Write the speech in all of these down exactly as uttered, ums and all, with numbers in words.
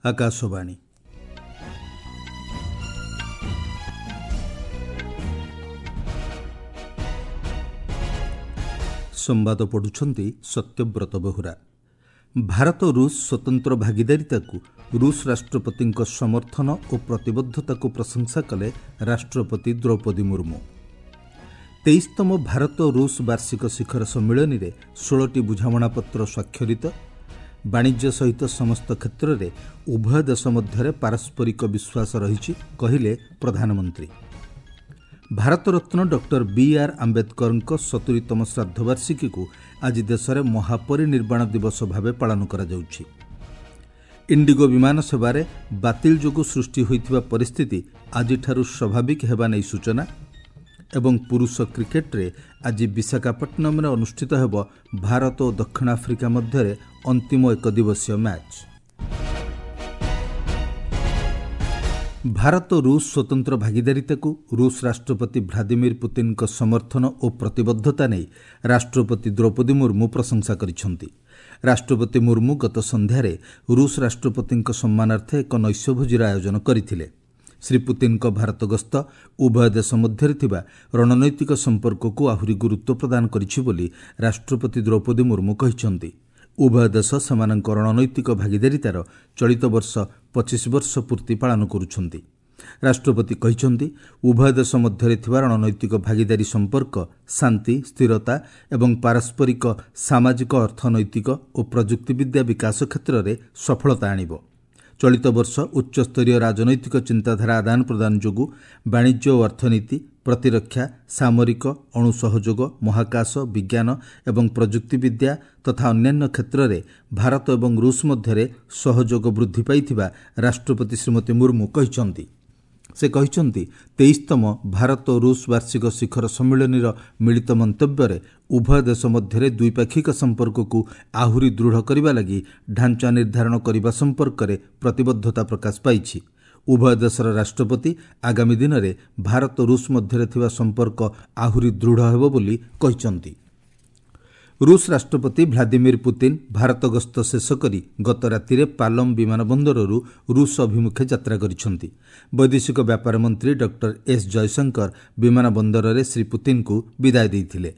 ଆକାଶବାଣୀ। ସମ୍ବାଦ ପଢ଼ୁଛନ୍ତି ସତ୍ୟବ୍ରତ ବେହୁରା। ଭାରତ ରୁଷ ସ୍ୱତନ୍ତ୍ର ଭାଗିଦାରିତାକୁ ରୁଷ ରାଷ୍ଟ୍ରପତିଙ୍କ ସମର୍ଥନ ଓ ପ୍ରତିବଦ୍ଧତାକୁ ପ୍ରଶଂସା କଲେ ରାଷ୍ଟ୍ରପତି ଦ୍ରୌପଦୀ ମୁର୍ମୁ। ତେଇଶତମ ଭାରତ ରୁଷ ବାର୍ଷିକ ଶିଖର ସମ୍ମିଳନୀରେ ଷୋହଳଟି ବୁଝାମଣାପତ୍ର ସ୍ୱାକ୍ଷରିତ। ବାଣିଜ୍ୟ ସହିତ ସମସ୍ତ କ୍ଷେତ୍ରରେ ଉଭୟ ଦେଶ ମଧ୍ୟରେ ପାରସ୍ପରିକ ବିଶ୍ୱାସ ରହିଛି, କହିଲେ ପ୍ରଧାନମନ୍ତ୍ରୀ। ଭାରତରତ୍ନ ଡକ୍ଟର ବି ଆର୍ ଆମ୍ବେଦକରଙ୍କ ସତୁରିତମ ଶ୍ରାଦ୍ଧବାର୍ଷିକୀକୁ ଆଜି ଦେଶରେ ମହାପରିନିର୍ବାଣ ଦିବସ ଭାବେ ପାଳନ କରାଯାଉଛି। ଇଣ୍ଡିଗୋ ବିମାନ ସେବାରେ ବାତିଲ ଯୋଗୁଁ ସୃଷ୍ଟି ହୋଇଥିବା ପରିସ୍ଥିତି ଆଜିଠାରୁ ସ୍ୱାଭାବିକ ହେବା ନେଇ ସୂଚନା। ଏବଂ ପୁରୁଷ କ୍ରିକେଟରେ ଆଜି ବିଶାଖାପଟ୍ଟନମରେ ଅନୁଷ୍ଠିତ ହେବ ଭାରତ ଓ ଦକ୍ଷିଣ ଆଫ୍ରିକା ମଧ୍ୟରେ ଅନ୍ତିମ ଏକଦିବସୀୟ ମ୍ୟାଚ୍। ଭାରତ ରୁଷ ସ୍ୱତନ୍ତ୍ର ଭାଗିଦାରିତାକୁ ରୁଷ ରାଷ୍ଟ୍ରପତି ଭ୍ଲାଦିମିର ପୁତିନଙ୍କ ସମର୍ଥନ ଓ ପ୍ରତିବଦ୍ଧତା ନେଇ ରାଷ୍ଟ୍ରପତି ଦ୍ରୌପଦୀ ମୁର୍ମୁ ପ୍ରଶଂସା କରିଛନ୍ତି। ରାଷ୍ଟ୍ରପତି ମୁର୍ମୁ ଗତ ସନ୍ଧ୍ୟାରେ ରୁଷ ରାଷ୍ଟ୍ରପତିଙ୍କ ସମ୍ମାନାର୍ଥେ ଏକ ନୈଶ୍ୟଭୋଜିର ଆୟୋଜନ କରିଥିଲେ। ଶ୍ରୀ ପୁତିନଙ୍କ ଭାରତ ଗସ୍ତ ଉଭୟ ଦେଶ ମଧ୍ୟରେ ଥିବା ରଣନୈତିକ ସମ୍ପର୍କକୁ ଆହୁରି ଗୁରୁତ୍ୱ ପ୍ରଦାନ କରିଛି ବୋଲି ରାଷ୍ଟ୍ରପତି ଦ୍ରୌପଦୀ ମୁର୍ମୁ କହିଛନ୍ତି। ଉଭୟ ଦେଶ ସେମାନଙ୍କ ରଣନୈତିକ ଭାଗିଦାରିତାର ଚଳିତ ବର୍ଷ ପଚିଶ ବର୍ଷ ପୂର୍ତ୍ତି ପାଳନ କରୁଛନ୍ତି। ରାଷ୍ଟ୍ରପତି କହିଛନ୍ତି, ଉଭୟ ଦେଶ ମଧ୍ୟରେ ଥିବା ରଣନୈତିକ ଭାଗିଦାରୀ ସମ୍ପର୍କ ଶାନ୍ତି, ସ୍ଥିରତା ଏବଂ ପାରସ୍ପରିକ ସାମାଜିକ, ଅର୍ଥନୈତିକ ଓ ପ୍ରଯୁକ୍ତିବିଦ୍ୟା ବିକାଶ କ୍ଷେତ୍ରରେ ସଫଳତା ଆଣିବ। ଚଳିତ ବର୍ଷ ଉଚ୍ଚସ୍ତରୀୟ ରାଜନୈତିକ ଚିନ୍ତାଧାରା ଆଦାନ ପ୍ରଦାନ ଯୋଗୁଁ ବାଣିଜ୍ୟ ଓ ଅର୍ଥନୀତି, ପ୍ରତିରକ୍ଷା, ସାମରିକ, ଅଣୁ ସହଯୋଗ, ମହାକାଶ, ବିଜ୍ଞାନ ଏବଂ ପ୍ରଯୁକ୍ତିବିଦ୍ୟା ତଥା ଅନ୍ୟାନ୍ୟ କ୍ଷେତ୍ରରେ ଭାରତ ଏବଂ ରୁଷ ମଧ୍ୟରେ ସହଯୋଗ ବୃଦ୍ଧି ପାଇଥିବା ରାଷ୍ଟ୍ରପତି ଶ୍ରୀମତୀ ମୁର୍ମୁ କହିଛନ୍ତି। ସେ କହିଛନ୍ତି, ତେଇଶତମ ଭାରତ ରୁଷ ବାର୍ଷିକ ଶିଖର ସମ୍ମିଳନୀର ମିଳିତ ମନ୍ତବ୍ୟରେ ଉଭୟ ଦେଶ ମଧ୍ୟରେ ଦ୍ୱିପାକ୍ଷିକ ସମ୍ପର୍କକୁ ଆହୁରି ଦୃଢ଼ କରିବା ଲାଗି ଢାଞ୍ଚା ନିର୍ଦ୍ଧାରଣ କରିବା ସମ୍ପର୍କରେ ପ୍ରତିବଦ୍ଧତା ପ୍ରକାଶ ପାଇଛି। ଉଭୟ ଦେଶର ରାଷ୍ଟ୍ରପତି ଆଗାମୀ ଦିନରେ ଭାରତ ରୁଷ ମଧ୍ୟରେ ଥିବା ସମ୍ପର୍କ ଆହୁରି ଦୃଢ଼ ହେବ ବୋଲି କହିଛନ୍ତି। ରୁଷ ରାଷ୍ଟ୍ରପତି ଭ୍ଲାଦିମିର ପୁତିନ ଭାରତ ଗସ୍ତ ଶେଷ କରି ଗତ ରାତିରେ ପାଲମ ବିମାନ ବନ୍ଦରରୁ ରୁଷ ଅଭିମୁଖେ ଯାତ୍ରା କରିଛନ୍ତି। ବୈଦେଶିକ ବ୍ୟାପାର ମନ୍ତ୍ରୀ ଡକ୍ଟର ଏସ୍ ଜୟଶଙ୍କର ବିମାନ ବନ୍ଦରରେ ଶ୍ରୀ ପୁତିନଙ୍କୁ ବିଦାୟ ଦେଇଥିଲେ।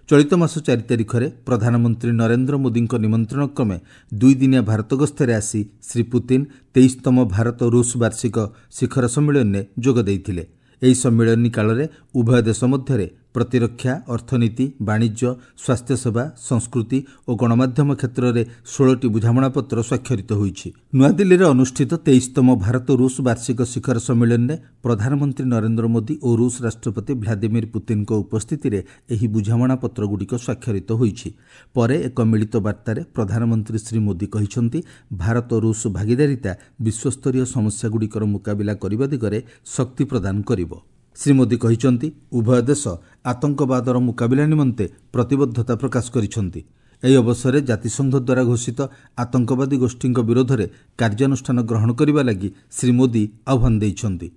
ଚଳିତ ମାସ ଚାରି ତାରିଖରେ ପ୍ରଧାନମନ୍ତ୍ରୀ ନରେନ୍ଦ୍ର ମୋଦିଙ୍କ ନିମନ୍ତ୍ରଣ କ୍ରମେ ଦୁଇଦିନିଆ ଭାରତ ଗସ୍ତରେ ଆସି ଶ୍ରୀ ପୁତିନ ତେଇଶତମ ଭାରତ ରୁଷ ବାର୍ଷିକ ଶିଖର ସମ୍ମିଳନୀରେ ଯୋଗ ଦେଇଥିଲେ। ଏହି ସମ୍ମିଳନୀ କାଳରେ ଉଭୟ ଦେଶ ମଧ୍ୟରେ ପ୍ରତିରକ୍ଷା, ଅର୍ଥନୀତି, ବାଣିଜ୍ୟ, ସ୍ୱାସ୍ଥ୍ୟସେବା, ସଂସ୍କୃତି ଓ ଗଣମାଧ୍ୟମ କ୍ଷେତ୍ରରେ ଷୋହଳଟି ବୁଝାମଣାପତ୍ର ସ୍ୱାକ୍ଷରିତ ହୋଇଛି। ନୂଆଦିଲ୍ଲୀରେ ଅନୁଷ୍ଠିତ ତେଇଶତମ ଭାରତ ରୁଷ ବାର୍ଷିକ ଶିଖର ସମ୍ମିଳନୀରେ ପ୍ରଧାନମନ୍ତ୍ରୀ ନରେନ୍ଦ୍ର ମୋଦି ଓ ରୁଷ ରାଷ୍ଟ୍ରପତି ଭ୍ଲାଦିମିର ପୁତିନଙ୍କ ଉପସ୍ଥିତିରେ ଏହି ବୁଝାମଣାପତ୍ରଗୁଡ଼ିକ ସ୍ୱାକ୍ଷରିତ ହୋଇଛି। ପରେ ଏକ ମିଳିତ ବାର୍ତ୍ତାରେ ପ୍ରଧାନମନ୍ତ୍ରୀ ଶ୍ରୀ ମୋଦି କହିଛନ୍ତି, ଭାରତ ରୁଷ ଭାଗିଦାରିତା ବିଶ୍ୱସ୍ତରୀୟ ସମସ୍ୟାଗୁଡ଼ିକର ମୁକାବିଲା କରିବା ଦିଗରେ ଶକ୍ତି ପ୍ରଦାନ କରିବ। ଶ୍ରୀ ମୋଦି କହିଛନ୍ତି, ଉଭୟ ଦେଶ ଆତଙ୍କବାଦର ମୁକାବିଲା ନିମନ୍ତେ ପ୍ରତିବଦ୍ଧତା ପ୍ରକାଶ କରିଛନ୍ତି। ଏହି ଅବସରରେ ଜାତିସଂଘ ଦ୍ୱାରା ଘୋଷିତ ଆତଙ୍କବାଦୀ ଗୋଷ୍ଠୀଙ୍କ ବିରୋଧରେ କାର୍ଯ୍ୟାନୁଷ୍ଠାନ ଗ୍ରହଣ କରିବା ଲାଗି ଶ୍ରୀ ମୋଦି ଆହ୍ୱାନ ଦେଇଛନ୍ତି।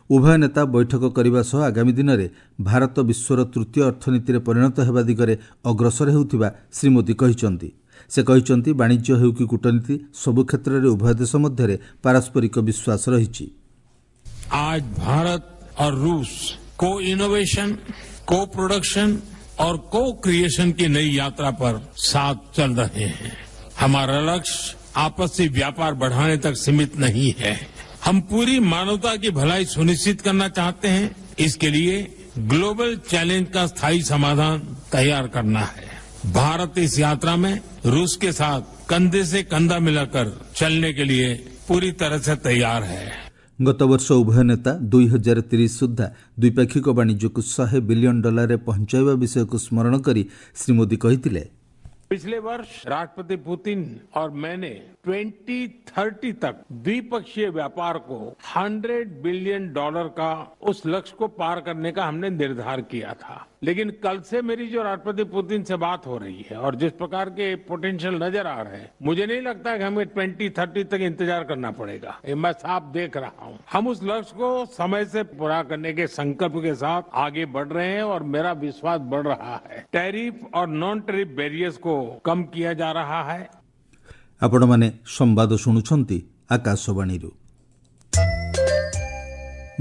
ଉଭୟ ନେତା ବୈଠକ କରିବା ସହ ଆଗାମୀ ଦିନରେ ଭାରତ ବିଶ୍ୱର ତୃତୀୟ ଅର୍ଥନୀତିରେ ପରିଣତ ହେବା ଦିଗରେ ଅଗ୍ରସର ହେଉଥିବା ଶ୍ରୀ ମୋଦି କହିଛନ୍ତି। ସେ କହିଛନ୍ତି, ବାଣିଜ୍ୟ ହେଉ କି କୂଟନୀତି, ସବୁ କ୍ଷେତ୍ରରେ ଉଭୟ ଦେଶ ମଧ୍ୟରେ ପାରସ୍ପରିକ ବିଶ୍ୱାସ ରହିଛି। ଆଜ ଭାରତ और रूस को इनोवेशन, को प्रोडक्शन और को क्रिएशन की नई यात्रा पर साथ चल रहे हैं। हमारा लक्ष्य आपसी व्यापार बढ़ाने तक सीमित नहीं है। हम पूरी मानवता की भलाई सुनिश्चित करना चाहते हैं। इसके लिए ग्लोबल चैलेंज का स्थायी समाधान तैयार करना है। भारत इस यात्रा में रूस के साथ कंधे से कंधा मिलाकर चलने के लिए पूरी तरह से तैयार है। ଗତବର୍ଷ ଉଭୟ ନେତା ଦୁଇ ହଜାର ତିରିଶ ସୁଦ୍ଧା ଦ୍ୱିପାକ୍ଷିକ ବାଣିଜ୍ୟକୁ ଶହେ ବିଲିୟନ ଡଲାରରେ ପହଞ୍ଚାଇବା ବିଷୟକୁ ସ୍ମରଣ କରି ଶ୍ରୀ ମୋଦି କହିଥିଲେ, पिछले वर्ष राष्ट्रपति पुतिन और मैंने ट्वेंटी थर्टी तक द्विपक्षीय व्यापार को हंड्रेड बिलियन डॉलर का उस लक्ष्य को पार करने का हमने निर्धार किया था। लेकिन कल से मेरी जो राष्ट्रपति पुतिन से बात हो रही है और जिस प्रकार के पोटेंशियल नजर आ रहे हैं, मुझे नहीं लगता कि हमें ट्वेंटी थर्टी तक इंतजार करना पड़ेगा। ये मैं साफ देख रहा हूँ। हम उस लक्ष्य को समय से पूरा करने के संकल्प के साथ आगे बढ़ रहे हैं और मेरा विश्वास बढ़ रहा है। टैरिफ और नॉन टैरिफ बैरियर्स को कम किया जा रहा है। ଆପଣମାନେ ସମ୍ବାଦ ଶୁଣୁଛନ୍ତି ଆକାଶବାଣୀରୁ।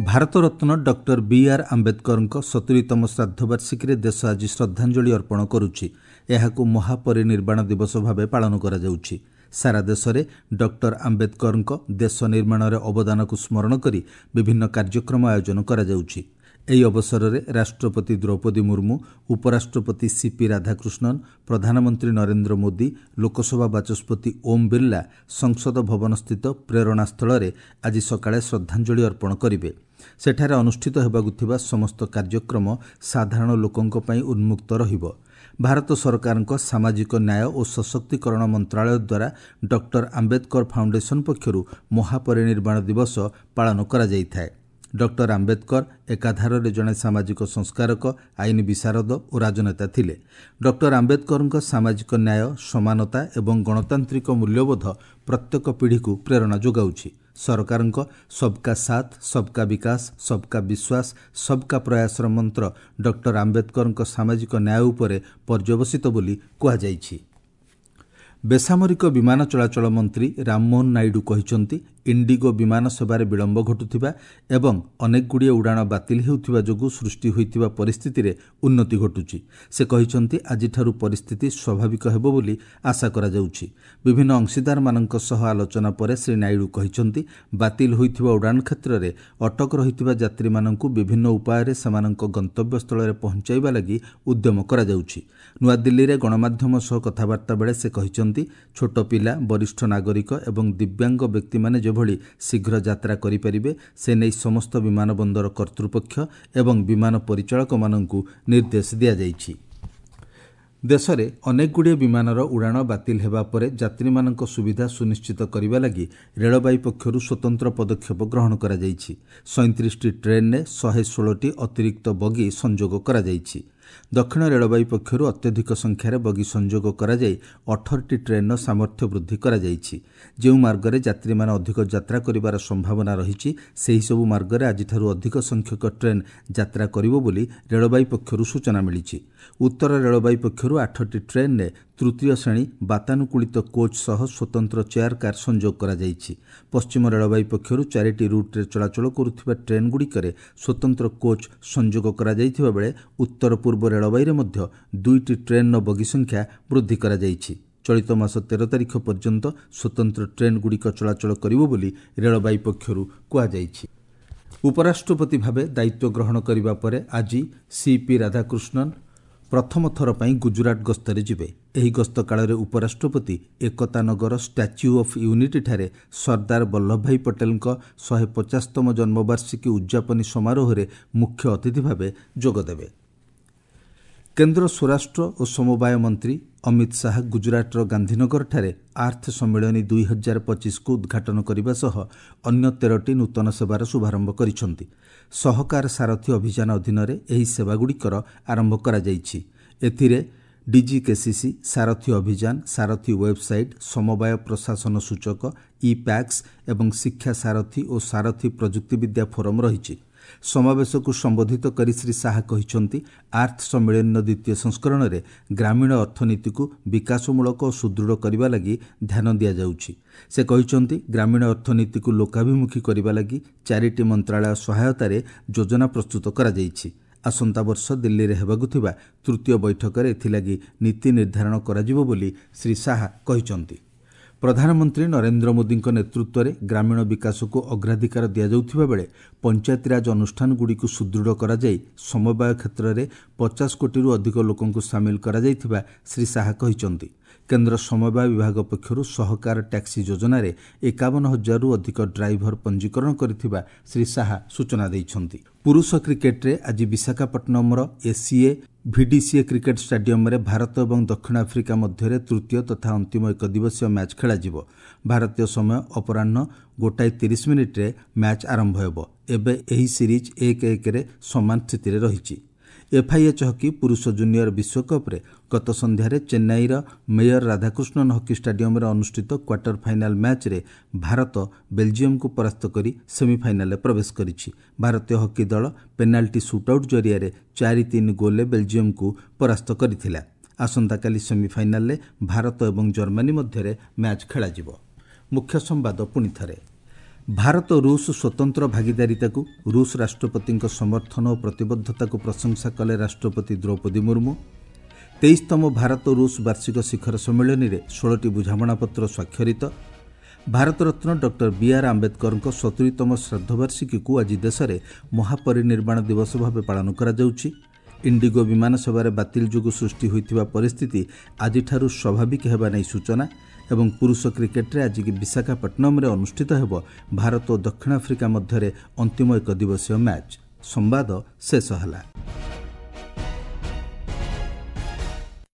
ଭାରତରତ୍ନ ଡକ୍ଟର ବି ଆର୍ ଆମ୍ବେଦକରଙ୍କ ସତୁରିତମ ଶ୍ରାଦ୍ଧବାର୍ଷିକୀରେ ଦେଶ ଆଜି ଶ୍ରଦ୍ଧାଞ୍ଜଳି ଅର୍ପଣ କରୁଛି। ଏହାକୁ ମହାପରିନିର୍ବାଣ ଦିବସ ଭାବେ ପାଳନ କରାଯାଉଛି। ସାରା ଦେଶରେ ଡକ୍ଟର ଆମ୍ବେଦକରଙ୍କ ଦେଶ ନିର୍ମାଣରେ ଅବଦାନକୁ ସ୍ମରଣ କରି ବିଭିନ୍ନ କାର୍ଯ୍ୟକ୍ରମ ଆୟୋଜନ କରାଯାଉଛି। ଏହି ଅବସରରେ ରାଷ୍ଟ୍ରପତି ଦ୍ରୌପଦୀ ମୁର୍ମୁ, ଉପରାଷ୍ଟ୍ରପତି ସିପି ରାଧାକୃଷ୍ଣନ, ପ୍ରଧାନମନ୍ତ୍ରୀ ନରେନ୍ଦ୍ର ମୋଦି, ଲୋକସଭା ବାଚସ୍ପତି ଓମ୍ ବିର୍ଲା ସଂସଦ ଭବନସ୍ଥିତ ପ୍ରେରଣାସ୍ଥଳରେ ଆଜି ସକାଳେ ଶ୍ରଦ୍ଧାଞ୍ଜଳି ଅର୍ପଣ କରିବେ। ସେଠାରେ ଅନୁଷ୍ଠିତ ହେବାକୁ ଥିବା ସମସ୍ତ କାର୍ଯ୍ୟକ୍ରମ ସାଧାରଣ ଲୋକଙ୍କ ପାଇଁ ଉନ୍ମୁକ୍ତ ରହିବ। ଭାରତ ସରକାରଙ୍କ ସାମାଜିକ ନ୍ୟାୟ ଓ ସଶକ୍ତିକରଣ ମନ୍ତ୍ରାଳୟ ଦ୍ୱାରା ଡକ୍ଟର ଆମ୍ବେଦକର ଫାଉଣ୍ଡେସନ ପକ୍ଷରୁ ମହାପରିନିର୍ବାଣ ଦିବସ ପାଳନ କରାଯାଇଥାଏ। ଡକ୍ଟର ଆମ୍ବେଦକର ଏକାଧାରରେ ଜଣେ ସାମାଜିକ ସଂସ୍କାରକ, ଆଇନ ବିଶାରଦ ଓ ରାଜନେତା ଥିଲେ। ଡକ୍ଟର ଆମ୍ବେଦକରଙ୍କ ସାମାଜିକ ନ୍ୟାୟ, ସମାନତା ଏବଂ ଗଣତାନ୍ତ୍ରିକ ମୂଲ୍ୟବୋଧ ପ୍ରତ୍ୟେକ ପିଢ଼ିକୁ ପ୍ରେରଣା ଯୋଗାଉଛି। ସରକାରଙ୍କ ସବକା ସାଥ, ସବକା ବିକାଶ, ସବକା ବିଶ୍ୱାସ, ସବକା ପ୍ରୟାସର ମନ୍ତ୍ର ଡକ୍ଟର ଆମ୍ବେଦକରଙ୍କ ସାମାଜିକ ନ୍ୟାୟ ଉପରେ ପର୍ଯ୍ୟବସିତ ବୋଲି କୁହାଯାଇଛି। ବେସାମରିକ ବିମାନ ଚଳାଚଳ ମନ୍ତ୍ରୀ ରାମମୋହନ ନାଇଡୁ କହିଛନ୍ତି, ଇଣ୍ଡିଗୋ ବିମାନ ସେବାରେ ବିଳମ୍ବ ଘଟୁଥିବା ଏବଂ ଅନେକଗୁଡ଼ିଏ ଉଡ଼ାଣ ବାତିଲ ହେଉଥିବା ଯୋଗୁଁ ସୃଷ୍ଟି ହୋଇଥିବା ପରିସ୍ଥିତିରେ ଉନ୍ନତି ଘଟୁଛି। ସେ କହିଛନ୍ତି, ଆଜିଠାରୁ ପରିସ୍ଥିତି ସ୍ୱାଭାବିକ ହେବ ବୋଲି ଆଶା କରାଯାଉଛି। ବିଭିନ୍ନ ଅଂଶୀଦାରମାନଙ୍କ ସହ ଆଲୋଚନା ପରେ ଶ୍ରୀ ନାଇଡୁ କହିଛନ୍ତି, ବାତିଲ ହୋଇଥିବା ଉଡ଼ାଣ କ୍ଷେତ୍ରରେ ଅଟକ ରହିଥିବା ଯାତ୍ରୀମାନଙ୍କୁ ବିଭିନ୍ନ ଉପାୟରେ ସେମାନଙ୍କ ଗନ୍ତବ୍ୟସ୍ଥଳରେ ପହଞ୍ଚାଇବା ଲାଗି ଉଦ୍ୟମ କରାଯାଉଛି। ନୂଆଦିଲ୍ଲୀରେ ଗଣମାଧ୍ୟମ ସହ କଥାବାର୍ତ୍ତା ବେଳେ ସେ କହିଛନ୍ତି, ଛୋଟ ପିଲା, ବରିଷ୍ଠ ନାଗରିକ ଏବଂ ଦିବ୍ୟାଙ୍ଗ ବ୍ୟକ୍ତିମାନେ ଯେଭଳି ଶୀଘ୍ର ଯାତ୍ରା କରିପାରିବେ ସେ ନେଇ ସମସ୍ତ ବିମାନ ବନ୍ଦର କର୍ତ୍ତୃପକ୍ଷ ଏବଂ ବିମାନ ପରିଚାଳକମାନଙ୍କୁ ନିର୍ଦ୍ଦେଶ ଦିଆଯାଇଛି। ଦେଶରେ ଅନେକଗୁଡ଼ିଏ ବିମାନର ଉଡ଼ାଣ ବାତିଲ ହେବା ପରେ ଯାତ୍ରୀମାନଙ୍କ ସୁବିଧା ସୁନିଶ୍ଚିତ କରିବା ଲାଗି ରେଳବାଇ ପକ୍ଷରୁ ସ୍ୱତନ୍ତ୍ର ପଦକ୍ଷେପ ଗ୍ରହଣ କରାଯାଇଛି। ସଇଁତିରିଶଟି ଟ୍ରେନ୍ରେ ଶହେ ଷୋହଳଟି ଅତିରିକ୍ତ ବଗି ସଂଯୋଗ କରାଯାଇଛି। ଦକ୍ଷିଣ ରେଳବାଇ ପକ୍ଷରୁ ଅତ୍ୟଧିକ ସଂଖ୍ୟାରେ ବଗି ସଂଯୋଗ କରାଯାଇ ଅଠରଟି ଟ୍ରେନ୍ର ସାମର୍ଥ୍ୟ ବୃଦ୍ଧି କରାଯାଇଛି। ଯେଉଁ ମାର୍ଗରେ ଯାତ୍ରୀମାନେ ଅଧିକ ଯାତ୍ରା କରିବାର ସମ୍ଭାବନା ରହିଛି, ସେହିସବୁ ମାର୍ଗରେ ଆଜିଠାରୁ ଅଧିକ ସଂଖ୍ୟକ ଟ୍ରେନ୍ ଯାତ୍ରା କରିବ ବୋଲି ରେଳବାଇ ପକ୍ଷରୁ ସୂଚନା ମିଳିଛି। ଉତ୍ତର ରେଳବାଇ ପକ୍ଷରୁ ଆଠଟି ଟ୍ରେନ୍ରେ ତୃତୀୟ ଶ୍ରେଣୀ ବାତାନୁକୂଳିତ କୋଚ୍ ସହ ସ୍ୱତନ୍ତ୍ର ଚେୟାର କାର୍ ସଂଯୋଗ କରାଯାଇଛି। ପଶ୍ଚିମ ରେଳବାଇ ପକ୍ଷରୁ ଚାରିଟି ରୁଟ୍ରେ ଚଳାଚଳ କରୁଥିବା ଟ୍ରେନ୍ଗୁଡ଼ିକରେ ସ୍ୱତନ୍ତ୍ର କୋଚ୍ ସଂଯୋଗ କରାଯାଇଥିବା ବେଳେ ଉତ୍ତର ପୂର୍ବ ରେଳବାଇରେ ମଧ୍ୟ ଦୁଇଟି ଟ୍ରେନ୍ର ବଗି ସଂଖ୍ୟା ବୃଦ୍ଧି କରାଯାଇଛି। ଚଳିତ ମାସ ତେର ତାରିଖ ପର୍ଯ୍ୟନ୍ତ ସ୍ୱତନ୍ତ୍ର ଟ୍ରେନ୍ଗୁଡ଼ିକ ଚଳାଚଳ କରିବ ବୋଲି ରେଳବାଇ ପକ୍ଷରୁ କୁହାଯାଇଛି। ଉପରାଷ୍ଟ୍ରପତି ଭାବେ ଦାୟିତ୍ୱ ଗ୍ରହଣ କରିବା ପରେ ଆଜି ସିପି ରାଧାକୃଷ୍ଣନ ପ୍ରଥମ ଥର ପାଇଁ ଗୁଜୁରାଟ ଗସ୍ତରେ ଯିବେ। ଏହି ଗସ୍ତ କାଳରେ ଉପରାଷ୍ଟ୍ରପତି ଏକତା ନଗର ଷ୍ଟାଚ୍ୟୁ ଅଫ୍ ୟୁନିଟିଠାରେ ସର୍ଦ୍ଦାର ବଲ୍ଲଭଭାଇ ପଟେଲଙ୍କ ଶହେ ପଚାଶତମ ଜନ୍ମବାର୍ଷିକୀ ଉଦ୍ଯାପନୀ ସମାରୋହରେ ମୁଖ୍ୟ ଅତିଥି ଭାବେ ଯୋଗଦେବେ। କେନ୍ଦ୍ର ସ୍ୱରାଷ୍ଟ୍ର ଓ ସମବାୟ ମନ୍ତ୍ରୀ ଅମିତ ଶାହା ଗୁଜୁରାଟର ଗାନ୍ଧୀନଗରଠାରେ ଆର୍ଥ ସମ୍ମିଳନୀ ଦୁଇ ହଜାର ପଚିଶକୁ ଉଦ୍ଘାଟନ କରିବା ସହ ଅନ୍ୟ ତେରଟି ନୂତନ ସେବାର ଶୁଭାରମ୍ଭ କରିଛନ୍ତି। ସହକାର ସାରଥୀ ଅଭିଯାନ ଅଧୀନରେ ଏହି ସେବାଗୁଡ଼ିକର ଆରମ୍ଭ କରାଯାଇଛି। ଏଥିରେ ଡିଜିକେସିସି, ସାରଥୀ ଅଭିଯାନ, ସାରଥୀ ୱେବ୍ସାଇଟ୍, ସମବାୟ ପ୍ରଶାସନ ସୂଚକ, ଇ ପ୍ୟାକ୍ସ ଏବଂ ଶିକ୍ଷା ସାରଥୀ ଓ ସାରଥୀ ପ୍ରଯୁକ୍ତିବିଦ୍ୟା ଫୋରମ୍ ରହିଛି। ସମାବେଶକୁ ସମ୍ବୋଧିତ କରି ଶ୍ରୀ ଶାହା କହିଛନ୍ତି, ଆର୍ଥ ସମ୍ମିଳନୀର ଦ୍ୱିତୀୟ ସଂସ୍କରଣରେ ଗ୍ରାମୀଣ ଅର୍ଥନୀତିକୁ ବିକାଶମୂଳକ ଓ ସୁଦୃଢ଼ କରିବା ଲାଗି ଧ୍ୟାନ ଦିଆଯାଉଛି। ସେ କହିଛନ୍ତି, ଗ୍ରାମୀଣ ଅର୍ଥନୀତିକୁ ଲୋକାଭିମୁଖୀ କରିବା ଲାଗି ଚାରିଟି ମନ୍ତ୍ରାଳୟ ସହାୟତାରେ ଯୋଜନା ପ୍ରସ୍ତୁତ କରାଯାଇଛି। ଆସନ୍ତା ବର୍ଷ ଦିଲ୍ଲୀରେ ହେବାକୁ ଥିବା ତୃତୀୟ ବୈଠକରେ ଏଥିଲାଗି ନୀତି ନିର୍ଦ୍ଧାରଣ କରାଯିବ ବୋଲି ଶ୍ରୀ ଶାହା କହିଛନ୍ତି। ପ୍ରଧାନମନ୍ତ୍ରୀ ନରେନ୍ଦ୍ର ମୋଦିଙ୍କ ନେତୃତ୍ୱରେ ଗ୍ରାମୀଣ ବିକାଶକୁ ଅଗ୍ରାଧିକାର ଦିଆଯାଉଥିବା ବେଳେ ପଞ୍ଚାୟତିରାଜ ଅନୁଷ୍ଠାନଗୁଡ଼ିକୁ ସୁଦୃଢ଼ କରାଯାଇ ସମବାୟ କ୍ଷେତ୍ରରେ ପଚାଶ କୋଟିରୁ ଅଧିକ ଲୋକଙ୍କୁ ସାମିଲ କରାଯାଇଥିବା ଶ୍ରୀ ଶାହା କହିଛନ୍ତି। କେନ୍ଦ୍ର ସମବାୟ ବିଭାଗ ପକ୍ଷରୁ ସହକାର ଟ୍ୟାକ୍ସି ଯୋଜନାରେ ଏକାବନ ହଜାରରୁ ଅଧିକ ଡ୍ରାଇଭର ପଞ୍ଜୀକରଣ କରିଥିବା ଶ୍ରୀ ଶାହା ସୂଚନା ଦେଇଛନ୍ତି। ପୁରୁଷ କ୍ରିକେଟରେ ଆଜି ବିଶାଖାପଟ୍ଟନମର ଏସିଏ ଭିଡିସିଏ କ୍ରିକେଟ ଷ୍ଟାଡିୟମରେ ଭାରତ ଏବଂ ଦକ୍ଷିଣ ଆଫ୍ରିକା ମଧ୍ୟରେ ତୃତୀୟ ତଥା ଅନ୍ତିମ ଏକଦିବସୀୟ ମ୍ୟାଚ୍ ଖେଳାଯିବ। ଭାରତୀୟ ସମୟ ଅପରାହ୍ନ ଗୋଟାଏ ତିରିଶ ମିନିଟ୍ରେ ମ୍ୟାଚ୍ ଆରମ୍ଭ ହେବ। ଏବେ ଏହି ସିରିଜ୍ ଏକ ଏକରେ ସମାନ ସ୍ଥିତିରେ ରହିଛି। ଏଫ୍ଆଇଏଚ୍ ହକି ପୁରୁଷ ଜୁନିୟର ବିଶ୍ୱକପ୍ରେ ଗତ ସନ୍ଧ୍ୟାରେ ଚେନ୍ନାଇର ମେୟର ରାଧାକୃଷ୍ଣନ ହକି ଷ୍ଟାଡିୟମରେ ଅନୁଷ୍ଠିତ କ୍ୱାର୍ଟର ଫାଇନାଲ ମ୍ୟାଚ୍ରେ ଭାରତ ବେଲଜିୟମକୁ ପରାସ୍ତ କରି ସେମିଫାଇନାଲରେ ପ୍ରବେଶ କରିଛି। ଭାରତୀୟ ହକି ଦଳ ପେନାଲ୍ଟି ସୁଟ୍ଆଉଟ୍ ଜରିଆରେ ଚାରି ତିନି ଗୋଲ୍ରେ ବେଲଜିୟମକୁ ପରାସ୍ତ କରିଥିଲା। ଆସନ୍ତାକାଲି ସେମିଫାଇନାଲରେ ଭାରତ ଏବଂ ଜର୍ମାନୀ ମଧ୍ୟରେ ମ୍ୟାଚ୍ ଖେଳାଯିବ। ମୁଖ୍ୟ ସମ୍ବାଦ ପୁଣି ଥରେ। ଭାରତ ରୁଷ ସ୍ୱତନ୍ତ୍ର ଭାଗିଦାରିତାକୁ ରୁଷ ରାଷ୍ଟ୍ରପତିଙ୍କ ସମର୍ଥନ ଓ ପ୍ରତିବଦ୍ଧତାକୁ ପ୍ରଶଂସା କଲେ ରାଷ୍ଟ୍ରପତି ଦ୍ରୌପଦୀ ମୁର୍ମୁ। ତେଇଶତମ ଭାରତ ରୁଷ ବାର୍ଷିକ ଶିଖର ସମ୍ମିଳନୀରେ ଷୋହଳଟି ବୁଝାମଣାପତ୍ର ସ୍ୱାକ୍ଷରିତ। ଭାରତରତ୍ନ ଡକ୍ଟର ବିଆର୍ ଆମ୍ବେଦକରଙ୍କ ସତୁରିତମ ଶ୍ରାଦ୍ଧବାର୍ଷିକୀକୁ ଆଜି ଦେଶରେ ମହାପରିନିର୍ବାଣ ଦିବସ ଭାବେ ପାଳନ କରାଯାଉଛି। ଇଣ୍ଡିଗୋ ବିମାନ ସେବାରେ ବାତିଲ ଯୋଗୁଁ ସୃଷ୍ଟି ହୋଇଥିବା ପରିସ୍ଥିତି ଆଜିଠାରୁ ସ୍ୱାଭାବିକ ହେବା ନେଇ ସୂଚନା। ଏବଂ ପୁରୁଷ କ୍ରିକେଟରେ ଆଜି ବିଶାଖାପଟ୍ଟନମରେ ଅନୁଷ୍ଠିତ ହେବ ଭାରତ ଓ ଦକ୍ଷିଣ ଆଫ୍ରିକା ମଧ୍ୟରେ ଅନ୍ତିମ ଏକଦିବସୀୟ ମ୍ୟାଚ୍। ସମ୍ବାଦ ଶେଷ ହେଲା।